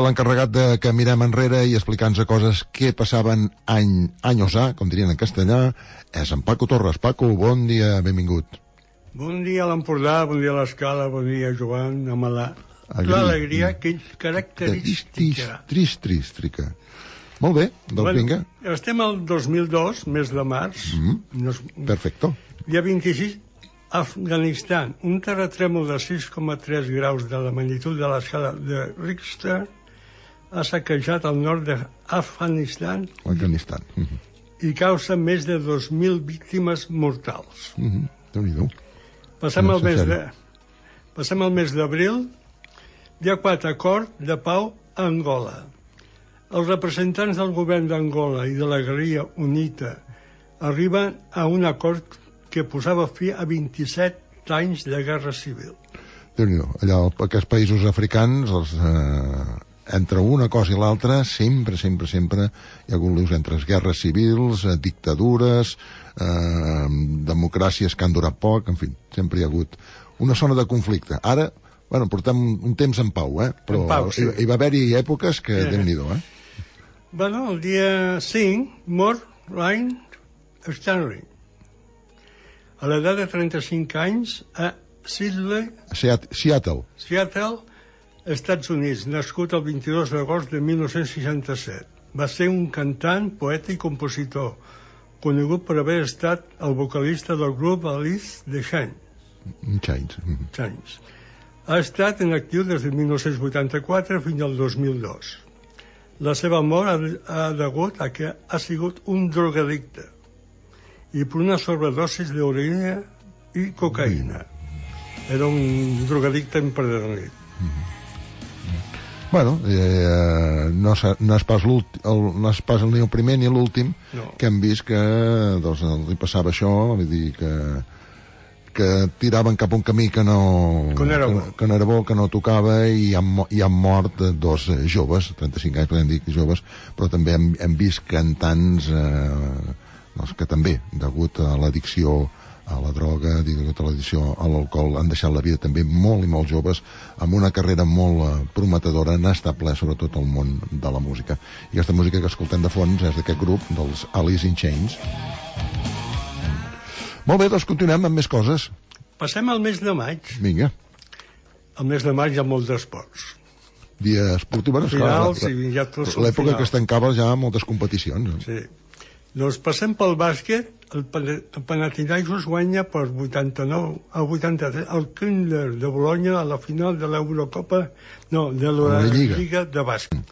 l'encarregat de que mirem enrere i explicar-nos coses que passaven anys ha, com dirien en castellà, és en Paco Torres. Paco, bon dia, benvingut. Bon dia a l'Empordà, bon dia a l'Escala, bon dia Joan, amb l'alegria que és característica. Trístrica. Molt bé, doncs vinga. Estem al 2002, mes de març. Perfecto. Dia 26, Afganistan. Un terratrèmol de 6,3 graus de la magnitud de l'escala de Richter ha saquejat el nord d'Afganistan i causa més de 2.000 víctimes mortals. Déu-n'hi-do. Passem al mes d'abril. Dia 4, acord de pau a Angola. Els representants del govern d'Angola i de la guerrilla UNITA arriben a un acord que posava fi a 27 anys de guerra civil. Déu-n'hi-do. Allà, aquests països africans, entre una cosa i l'altra, sempre hi ha hagut líos entre guerres civils, dictadures, democràcies que han durat poc, en fi, sempre hi ha hagut una zona de conflicte. Ara, portem un temps en pau, però hi va haver-hi èpoques que Déu-n'hi-do, el dia 5 mor Ryan Stanley, a l'edat de 35 anys, a Seattle, Estats Units, nascut el 22 d'agost de 1967. Va ser un cantant, poeta i compositor, conegut per haver estat el vocalista del grup Alice in Chains. Ha estat en actiu des de 1984 fins al 2002. La seva mort ha degut a que ha sigut un drogadicte i per una sobredosi d'heroïna i cocaïna. Era un drogadicte empedernidt. No és pas ni el primer ni l'últim que hem vist que li passava això, vull dir que tiraven cap a un camí que no era bo, que no tocava, i han mort dos joves, 35 anys podem dir joves, però també hem vist cantants que també, degut a l'addicció a la droga, degut a l'addicció a l'alcohol, han deixat la vida també molt i molt joves, amb una carrera molt prometedora. N'ha estat ple sobretot el món de la música, i aquesta música que escoltem de fons és d'aquest grup, dels Alice in Chains. Molt bé, doncs continuem amb més coses. Passem al mes de maig. Vinga. Al mes de maig hi ha molts esports. Dia esportiu, l'època que es tancava ja moltes competicions. Sí. Doncs passem pel bàsquet. El Panathinaikos guanya per 89-83 el Kinder de Bologna a la final de l'Eurocopa, de la Lliga de bàsquet.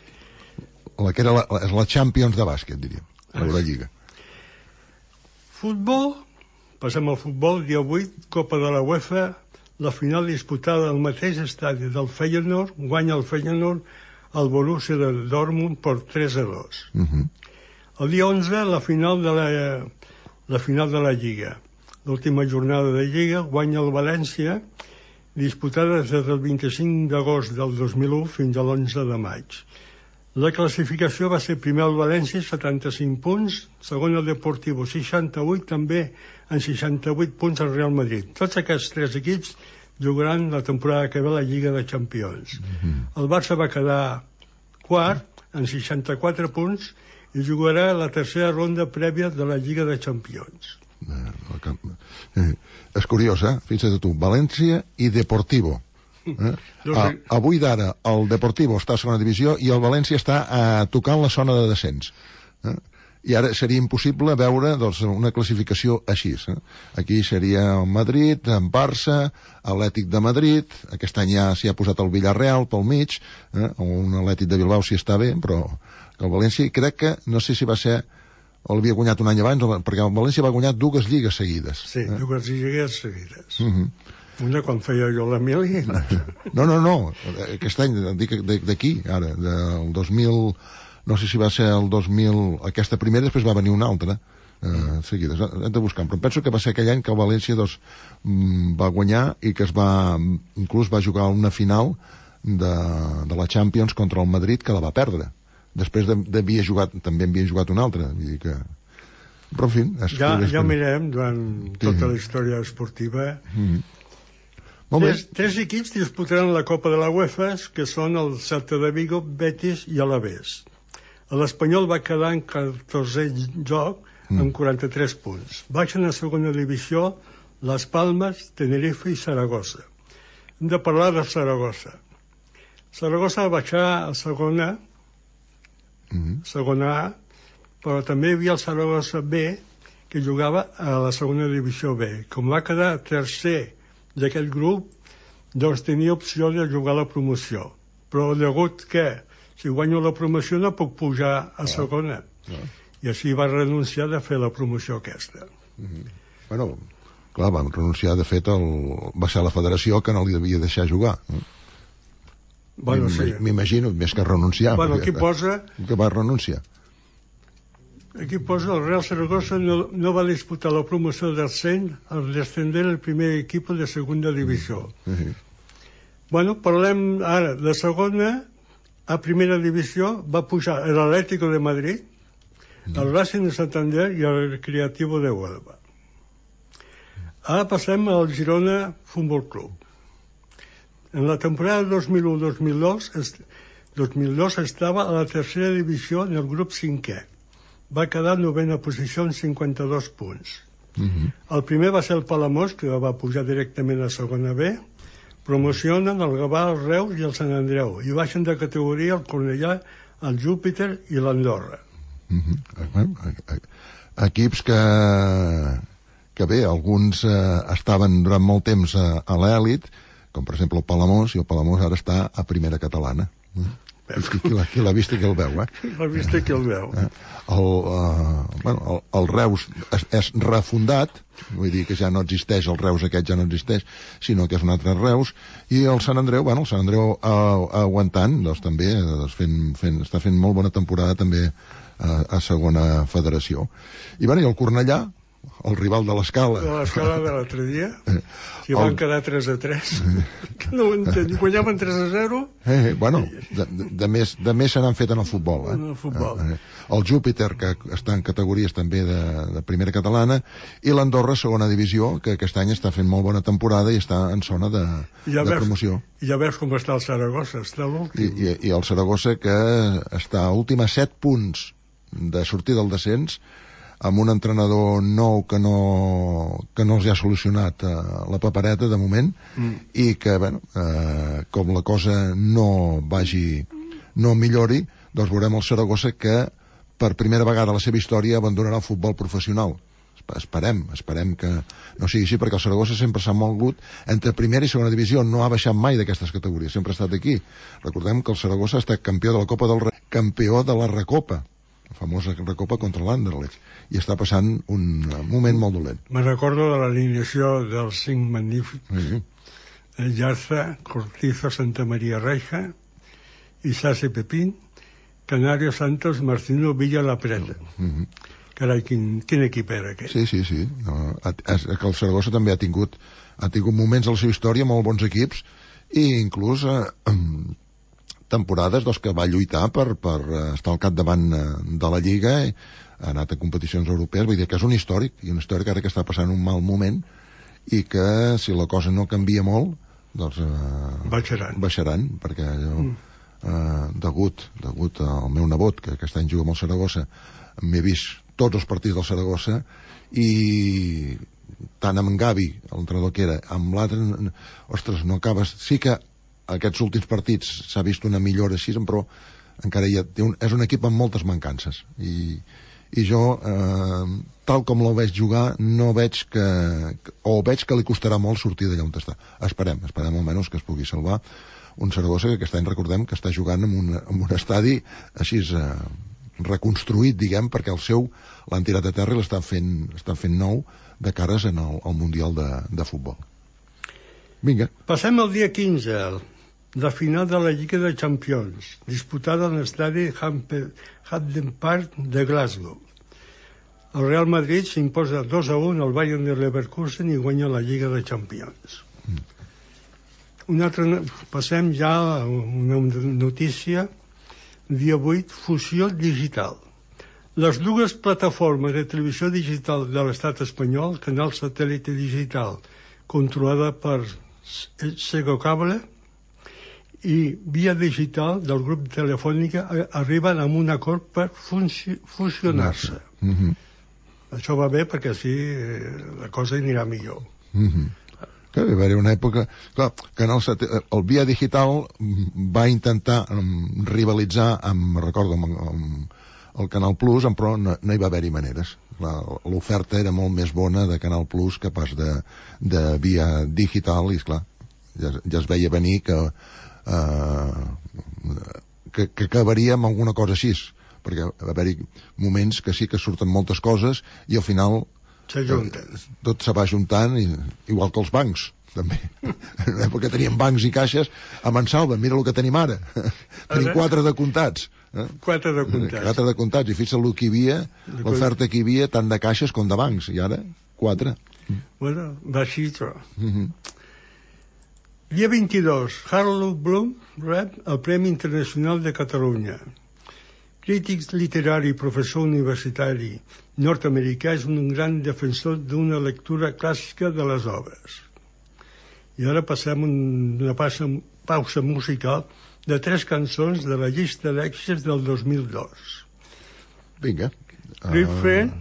Que era la Champions de bàsquet, diríem, l'Eurolliga. Futbol. Passem al futbol, dia 8, Copa de la UEFA, la final disputada al mateix estadi del Feyenoord, guanya el Feyenoord al Borussia de Dortmund per 3-2. El dia 11, la final de la Lliga. L'última jornada de Lliga guanya el València, disputada des del 25 d'agost del 2001 fins a l'11 de maig. La classificació va ser primer el València, 75 punts, segon el Deportivo, 68, també en 68 punts el Real Madrid. Tots aquests tres equips jugaran la temporada que ve a la Lliga de Champions. El Barça va quedar quart, en 64 punts, i jugarà la tercera ronda prèvia de la Lliga de Champions. És curiós, Fixa't tu, València i Deportivo. Avui d'ara el Deportivo està a segona divisió i el València està tocant la zona de descens, i ara seria impossible veure una classificació així. Aquí seria el Madrid, en Barça, Atlètic de Madrid, aquest any ja s'hi ha posat el Villarreal pel mig, o un Atlètic de Bilbao si està bé, però el València crec que, no sé si va ser o l'havia guanyat un any abans, perquè el València va guanyar 2 lligues seguides. Sí, 2 lligues seguides. Una quan feia jo l'Emili. No, aquest any, dic d'aquí, ara, del 2000, no sé si va ser el 2000, aquesta primera, després va venir una altra, seguides, hem de buscar, però penso que va ser aquell any que el València va guanyar i que inclús va jugar una final de la Champions contra el Madrid, que la va perdre. Després també havia jugat una altra, vull dir que... Però, en fi... Ja mirem durant tota la història esportiva. Tres equips disputaran la Copa de la UEFA, que són el Celta de Vigo, Betis i Alavés. L'Espanyol va quedar en 14è lloc amb 43 punts. Baixen a segona divisió Las Palmas, Tenerife i Saragossa. Hem de parlar de Saragossa. Saragossa va baixar a segona A, però també hi havia el Saragossa B, que jugava a la segona divisió B. Com va quedar tercer d'aquest grup, doncs tenia opció de jugar a la promoció. Però degut que si guanyo la promoció no puc pujar a segona. I així va renunciar de fer la promoció aquesta. Bueno, clar, va renunciar, de fet, va ser la federació que no li devia deixar jugar. Bueno, sí. M'imagino, més que renunciar. Bueno, aquí posa... Que va renunciar. Aquí posa el Real Zaragoza no va disputar la promoció d'ascens al descender el primer equip de segunda divisió. Bueno, parlem ara de segona a primera divisió. Va pujar l'Atlético de Madrid, el Racing de Santander i el Recreativo de Huelva. Ara passem al Girona Futbol Club. En la temporada 2001-2002 estava a la tercera divisió en el grup 5è. Va quedar en 9a posició amb 52 punts. El primer va ser el Palamós, que va pujar directament a segona B. Promocionen el Gavà, el Reus i el Sant Andreu, i baixen de categoria el Cornellà, el Júpiter i l'Andorra. Equips que bé, alguns estaven durant molt temps a l'èlit, com per exemple el Palamós, i el Palamós ara està a primera catalana. Qui l'ha vist i qui el veu, L'ha vist i qui el veu. El Reus és refundat, vull dir que ja no existeix, el Reus aquest ja no existeix, sinó que és un altre Reus, i el Sant Andreu, el Sant Andreu aguantant, doncs també està fent molt bona temporada també a segona federació. I el Cornellà, el rival de l'Escala. De l'Escala de l'altre dia. Si van quedar 3-3. No ho entenc. Guanyaven 3-0. Bueno, de més se n'han fet en el futbol. En el futbol. El Júpiter, que està en categories també de primera catalana, i l'Andorra, segona divisió, que aquest any està fent molt bona temporada i està en zona de promoció. I ja veus com està el Saragossa, està l'últim. I el Saragossa, que està a últim a 7 punts de sortir del descens, amb un entrenador nou que no els ha solucionat la papereta de moment, i que, com la cosa no millori, doncs veurem el Saragossa que per primera vegada a la seva història abandonarà el futbol professional. Esperem que no sigui així, perquè el Saragossa sempre s'ha mogut entre primera i segona divisió, no ha baixat mai d'aquestes categories, sempre ha estat aquí. Recordem que el Saragossa ha estat campió de la Copa del Rei, campió de la Recopa, la famosa Recopa contra l'Anderlecht, i està passant un moment molt dolent. Me recordo de l'alineació dels 5 magnífics. Yarza, Cortizo, Santa María Reja, Isasi Pepín, Canario Santos, Marcino Villa La Preta. Carai, quin equip era aquest? Sí. El Saragossa també ha tingut moments a la seva història, molt bons equips, i inclús temporades que va lluitar per estar al capdavant de la Lliga, ha anat a competicions europees. Vull dir que és un històric, i un històric ara que està passant un mal moment, i que si la cosa no canvia molt, doncs baixaran, perquè degut al meu nebot, que aquest any juga amb el Saragossa, m'he vist tots els partits del Saragossa, i tant amb Gavi, l'entrenador que era, amb l'altre, ostres, no acabes. Sí que aquests últims partits s'ha vist una millora així, però encara és un equip amb moltes mancances, i jo, tal com el veig jugar, no veig veig que li costarà molt sortir d'allà on està. Esperem almenys que es pugui salvar un Saragossa que aquest any recordem que està jugant en un estadi així reconstruït, diguem, perquè l'han tirat a terra i l'estan fent nou de cares al Mundial de Futbol. Vinga. Passem al dia 15, la final de la Lliga de Champions, disputada en l'estadi Hampden Park de Glasgow. El Real Madrid s'imposa 2-1 al Bayern de Leverkusen i guanya la Lliga de Champions. Passem ja a una notícia. Dia 8, fusió digital. Les dues plataformes de televisió digital de l'estat espanyol, Canal Satèl·lit Digital, controlada per Segocable i Via Digital del grup Telefònica arriben a un acord per fusionar-se. Això va bé perquè així la cosa anirà millor. Que va haver una època... Clar, que el Via Digital va intentar rivalitzar recordo, amb el Canal Plus, però no hi va haver-hi maneres. L'oferta era molt més bona de Canal Plus que pas de Via Digital, i esclar, ja es veia venir que acabaria amb alguna cosa així, perquè va haver-hi moments que sí que surten moltes coses i al final tot se va juntant, igual que els bancs també. En una època teníem bancs i caixes a Mansalva, mira el que tenim ara. Tenim 4 de comptats. 4 de comptats. 4 de comptats, i fixa't el que hi havia, l'oferta que hi havia, tant de caixes com de bancs, i ara 4. Bueno, va així, però. Dia 22, Harold Bloom rep el Premi Internacional de Catalunya. Crític literari i professor universitari nord-americà, és un gran defensor d'una lectura clàssica de les obres. I ara passem una pausa musical de 3 cançons de la llista d'èxits del 2002. Vinga. Girlfriend,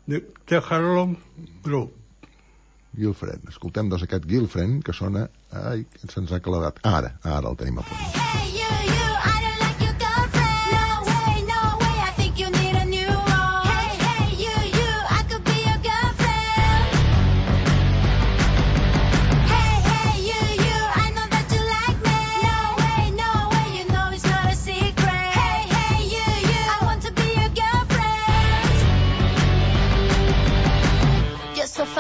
de Harold Bloom. Girlfriend. Escoltem aquest Girlfriend que sona... Ai, se'ns ha clavat. Ara el tenim a punt.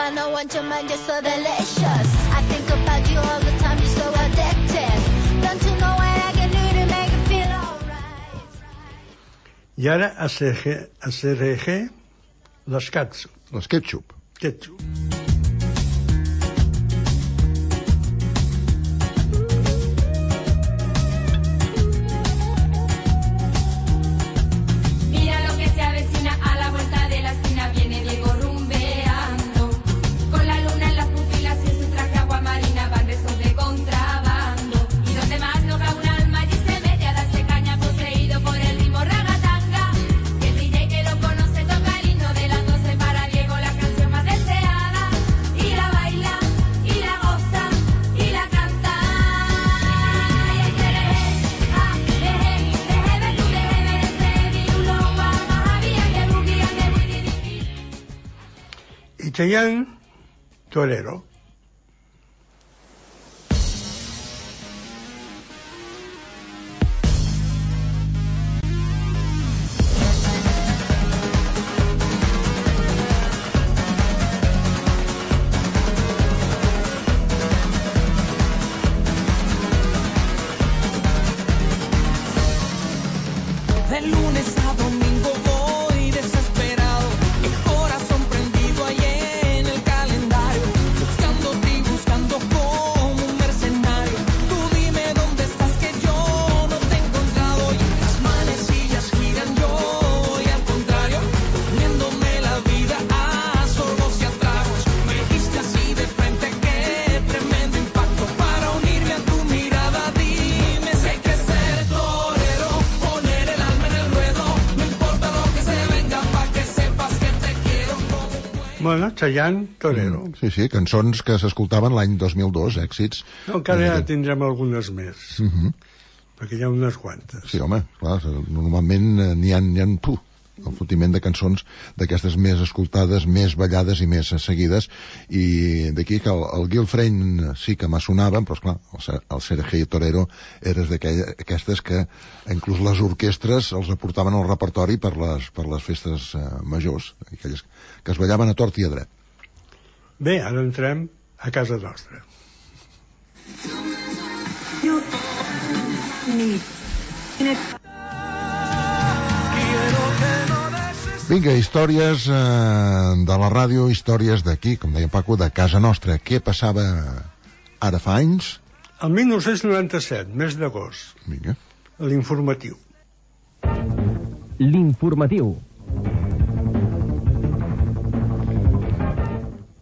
I want your mind, you're so delicious. I think about you all the time, you're so addictive. Don't you know what I can do to make it feel alright? I ara a CRG les ketchup. Les ketchup. Ketchup. Cheyenne Torero. De lunes a domingo voy desesperado, el corazón prendido ahí en el calendario, buscándote y buscando como un mercenario. Tú dime dónde estás que yo no te he encontrado, y las manecillas giran, yo voy al contrario, comiéndome la vida a sorbos y a tragos. Me dijiste así de frente, qué tremendo impacto, para unirme a tu mirada. Dime si hay que ser torero, poner el alma en el ruedo, no importa lo que se venga, pa' que sepas que te quiero como un güey. Bueno, Cheyenne Torero. Sí, cançons que s'escoltaven l'any 2002, èxits. No, encara ja tindrem algunes més, perquè hi ha unes quantes. Sí, home, clar, normalment n'hi ha el fotiment de cançons d'aquestes més escoltades, més ballades i més seguides, i d'aquí que el Girlfriend sí que m'assonaven, però esclar, el Sergei Torero eres d'aquestes que inclús les orquestres els aportaven al repertori per les festes majors, aquelles que es ballaven a tort i a dret. Bé, ara entrem a casa nostra. Vinga, històries de la ràdio, històries d'aquí, com deia Paco, de casa nostra. Què passava ara fa anys? El 1997, mes d'agost. Vinga. L'informatiu. L'informatiu.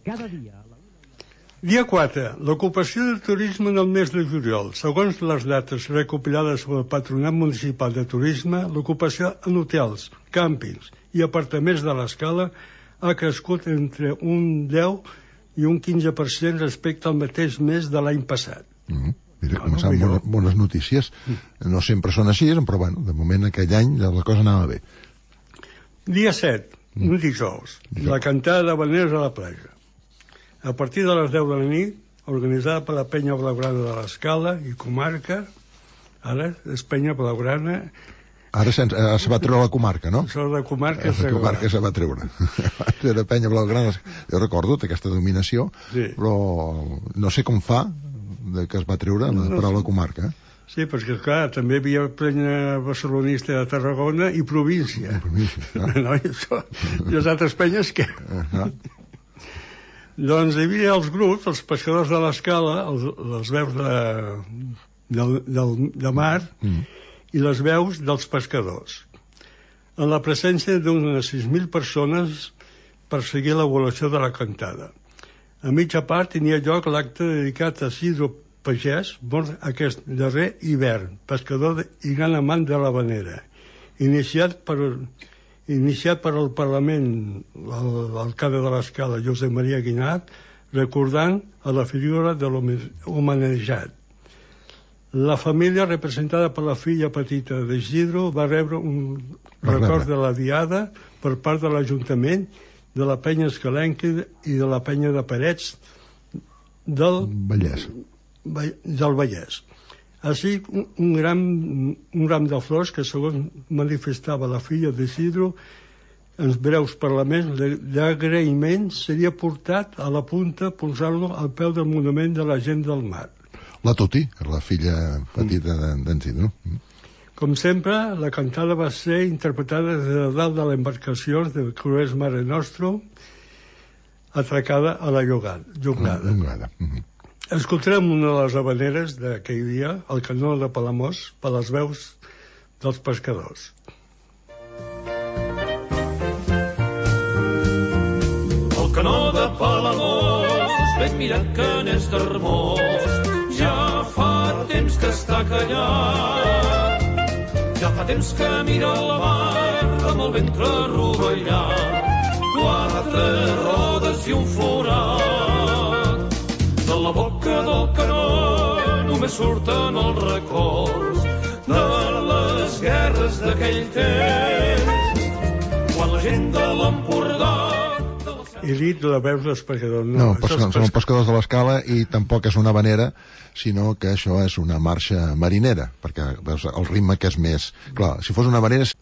Cada dia... Dia 4. L'ocupació del turisme en el mes de juliol. Segons les dates recopilades pel Patronat Municipal de Turisme, l'ocupació en hotels, càmpings i apartaments de l'Escala ha crescut entre un 10 i un 15% respecte al mateix mes de l'any passat. Mira, començant bones notícies. No sempre són així, però bueno, de moment aquell any la cosa anava bé. Dia 7, un dijous. La cantada d'habaneres a la platja. A partir de les 10 de la nit, organitzada per la Penya Blaugrana de l'Escala i comarca, ara és Penya Blaugrana. Ara se va treure la comarca, no? Això de comarca la comarca se va treure. Era Penya Blaugrana. Jo recordo aquesta dominació, sí. Però no sé com fa que es va treure la paraula comarca. Sí, perquè clar, també hi havia penya barcelonista de Tarragona i província. No, i això, i les altres penyes què? Doncs hi havia els grups, els pescadors de l'Escala, les veus de mar i les veus dels pescadors. En la presència d'unes 6.000 persones per seguir l'evolució de la cantada. A mitja part tenia lloc l'acte dedicat a Isidro Pagès, mort aquest darrer hivern, pescador i gran amant de l'habanera, iniciat per el Parlament, l'alcalde de l'Escala, Josep Maria Guinart, recordant a la figura de l'homenatjat. La família, representada per la filla petita d'Isidro, va rebre un record de la diada per part de l'Ajuntament, de la penya escalenca i de la penya de Parets del Vallès. Així, un ram de flors que, segons manifestava la filla d'Isidro, en breus parlaments d'agraïment seria portat a la punta, posant-lo al peu del monument de la gent del mar. La Toti, la filla petita d'en Isidro. Com sempre, la cantada va ser interpretada des de dalt de l'embarcació de Crues Mare Nostrum, atracada a la llongada. Escoltarem una de les habaneres d'aquell dia, el canó de Palamós, per les veus dels pescadors. El canó de Palamós, ben mirat que n'és d'hermós, ja fa temps que està callat. Ja fa temps que mira el mar amb el ventre rovellat, 4 rodes i un forat. De la boca del canó només surten els records de les guerres d'aquell temps, quan la gent de l'Empordà... I dit la veus dels pescadors. No, són pescadors de l'Escala i tampoc és una habanera, sinó que això és una marxa marinera, perquè veus el ritme que és més... Clar, si fos una habanera és...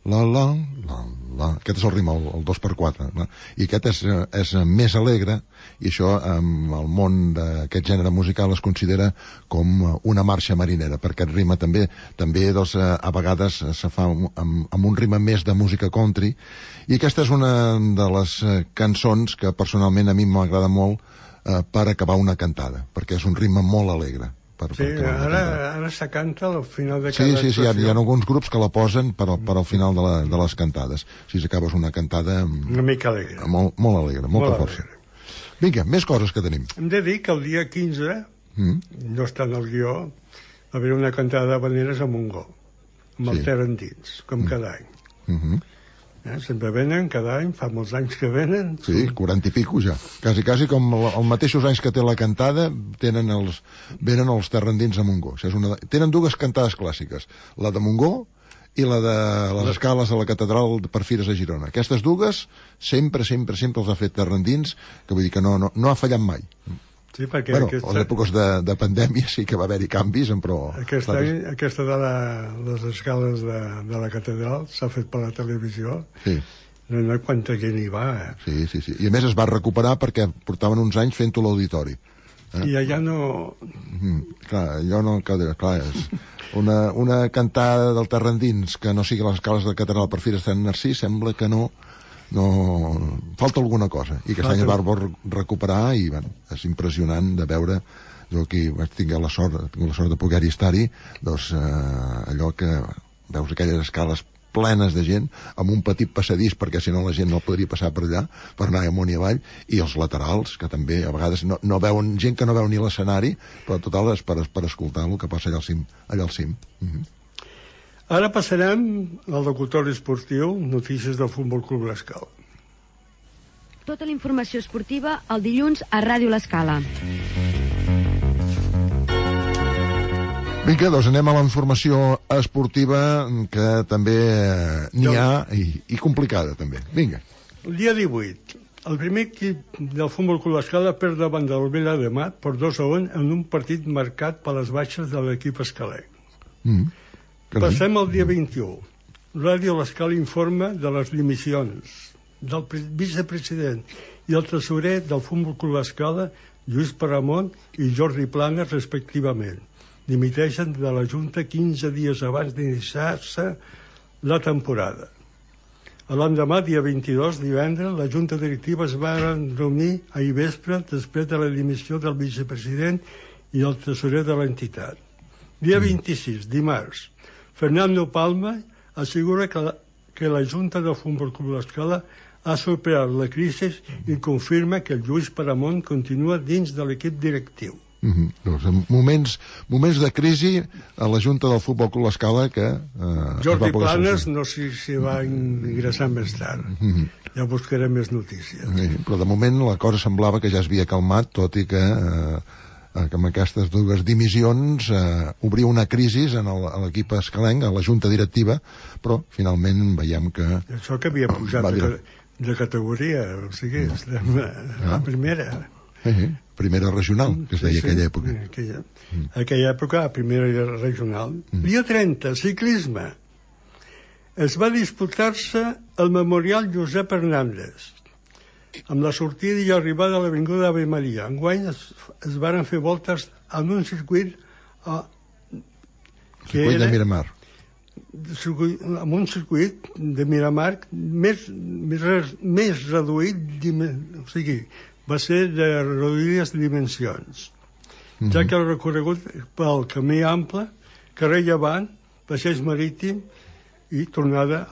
Aquest és el ritme, el 2x4, no? I aquest és més alegre, i això en el món d'aquest gènere musical es considera com una marxa marinera, perquè aquest ritme també doncs, a vegades se fa amb un ritme més de música country, i aquesta és una de les cançons que personalment a mi m'agrada molt per acabar una cantada, perquè és un ritme molt alegre. Sí, ara se canta al final de cada actuació. Sí, hi ha alguns grups que la posen per al final de les cantades. Si acabes una cantada... Una mica alegre. Molt alegre, molta força. Vinga, més coses que tenim. Hem de dir que el dia 15, no està en el guió, va haver una cantada d'habaneres a Montgó, amb el Ter endins, com cada any. Sempre venen, cada any, fa molts anys que venen. Sí, 40 i pico ja. Quasi com els mateixos anys que té la cantada, venen els terrendins a Montgó. Tenen dues cantades clàssiques, la de Montgó i la de les escales de la catedral de Perfires a Girona. Aquestes dues sempre els ha fet terrendins, que vull dir que no ha fallat mai. Sí, perquè a les èpoques de pandèmia sí que va haver-hi canvis, però... Aquesta de les escales de la catedral s'ha fet per la televisió. Sí. No hi quanta gent hi va, Sí. I a més es va recuperar perquè portaven uns anys fent-ho a l'auditori. I allà no... Clar, allò no... Clar, és una cantada del terrendins que no sigui les escales de la catedral Perfires de Sant Narcís, sembla que no falta alguna cosa, i aquest any es va recuperar i és impressionant de veure. Jo aquí vaig tenir la sort de poder-hi estar-hi, doncs allò que veus aquelles escales plenes de gent, amb un petit passadís, perquè si no la gent no podria passar per allà, per anar amunt i avall, i els laterals, que també a vegades no veuen, gent que no veu ni l'escenari, però total és per escoltar el que passa allà al cim. Ara passarem al locutori esportiu, notícies del Futbol Club L'Escala. Tota la informació esportiva el dilluns a Ràdio L'Escala. Vinga, doncs anem a la informació esportiva, que també n'hi ha, i complicada també. Vinga. El dia 18, el primer equip del Futbol Club L'Escala perd davant del Vila de Mat per 2-1 en un partit marcat per les baixes de l'equip escalenc. Passem al dia 21. Ràdio L'Escala informa de les dimissions del vicepresident i el tresorer del Futbol Club L'Escala, Lluís Paramont i Jordi Planes, respectivament. Dimiteixen de la Junta 15 dies abans d'iniciar-se la temporada. L'endemà, dia 22, divendres, la Junta Directiva es va reunir ahir vespre després de la dimissió del vicepresident i el tresorer de l'entitat. Dia 26, dimarts, Fernando Palma assegura que la Junta del Futbol Club L'Escala ha superat la crisi i confirma que el Lluís Paramont continua dins de l'equip directiu. Doncs moments de crisi a la Junta del Futbol Club L'Escala que Jordi Planes no sé si va ingressar més tard. Ja buscarem més notícies. Però de moment la cosa semblava que ja es havia calmat, tot i que amb aquestes dues dimissions obria una crisi en l'equip escalenc, a la Junta Directiva, però finalment veiem que... Això que havia pujat de categoria, o sigui, la primera... Primera regional, que es deia aquella època. Aquella època, primera regional. Dia 30, ciclisme. Es va disputar-se el Memorial Josep Hernández, amb la sortida i arribada a l'Avinguda Ave Maria. Enguany es varen fer voltes en un circuit de Miramar. Amb un circuit de Miramar més reduït, o sigui, va ser de reduïdes dimensions, ja que el recorregut pel camí ample, carrer Llevant, passeig marítim i tornada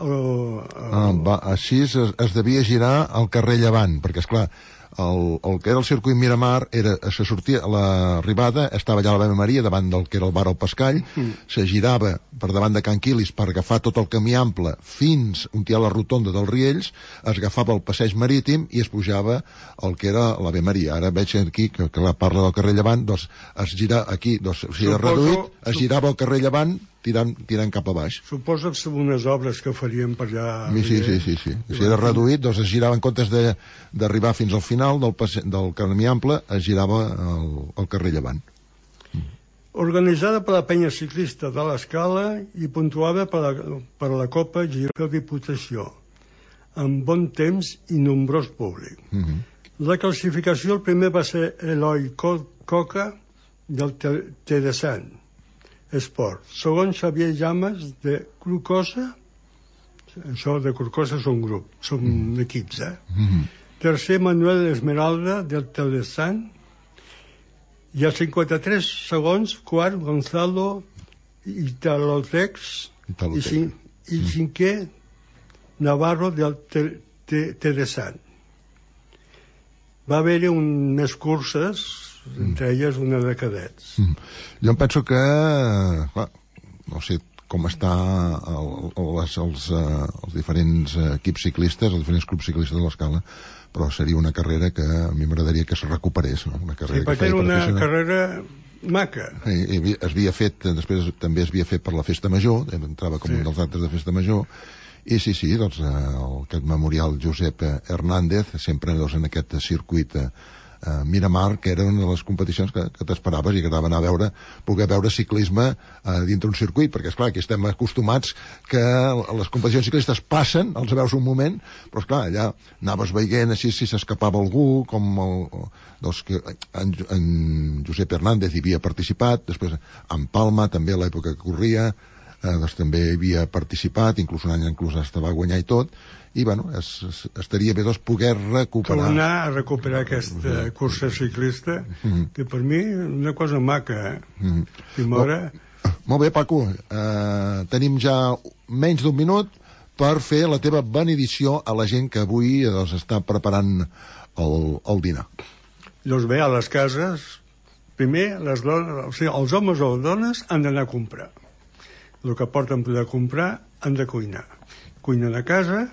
així es devia girar al carrer Llevant, perquè esclar, el que era el circuit Miramar se sortia, l'arribada estava allà a l'Ave Maria davant del que era el bar al Pascall, se girava per davant de Can Quilis per agafar tot el camí ample fins on hi ha la rotonda dels Riells, es agafava el passeig marítim i es pujava el que era l'Ave Maria. Ara veig aquí que parla del carrer Llevant, doncs es gira aquí, doncs si era reduït, es girava el carrer Llevant tirant cap a baix. Suposo que són unes obres que faríem per allà. Sí. Si era reduït, doncs es girava en comptes d'arribar fins al final del camí ample, es girava el carrer Llevant. Organitzada per la penya ciclista de l'Escala i puntuada per la Copa Girona Diputació, amb bon temps i nombrós públic. La classificació, el primer va ser Eloi Coca del Tedesan Esport. Segon, Xavier Llamas de Crucosa. Això de Crucosa són grup, són equips, Tercer, Manuel Esmeralda del Telesan. I a 53 segons, quart, Gonzalo Italotex. I cinquè, Navarro del Telesan. Va haver-hi més curses, entre elles una de cadets. Jo em penso que, clar, no sé com està els diferents equips ciclistes, els diferents clubs ciclistes de l'Escala, però seria una carrera que a mi m'agradaria que se recuperés, no? Una carrera perquè era una carrera maca. Es havia fet, després també es havia fet per la Festa Major, entrava com un dels actes de Festa Major, i sí, doncs aquest memorial Josep Hernández, sempre en aquest circuit Miramar, que era una de les competicions que t'esperaves i que t'anaven a poder veure ciclisme dintre un circuit, perquè esclar, aquí estem acostumats que les competicions ciclistes passen, els veus un moment, però esclar, allà anaves veient així si s'escapava algú, com en Josep Hernández hi havia participat, després en Palma també a l'època que corria, doncs també hi havia participat, inclús un any estava a guanyar i tot, i bueno, estaria bé doncs poder recuperar. Tornar a recuperar aquesta cursa ciclista, que per mi és una cosa maca, Molt bé, Paco, tenim ja menys d'un minut per fer la teva benedició a la gent que avui està preparant el dinar. Doncs bé, a les cases, primer, les dones, o sigui, els homes o les dones han d'anar a comprar. El que porten per comprar han de cuinar. Cuinen a casa,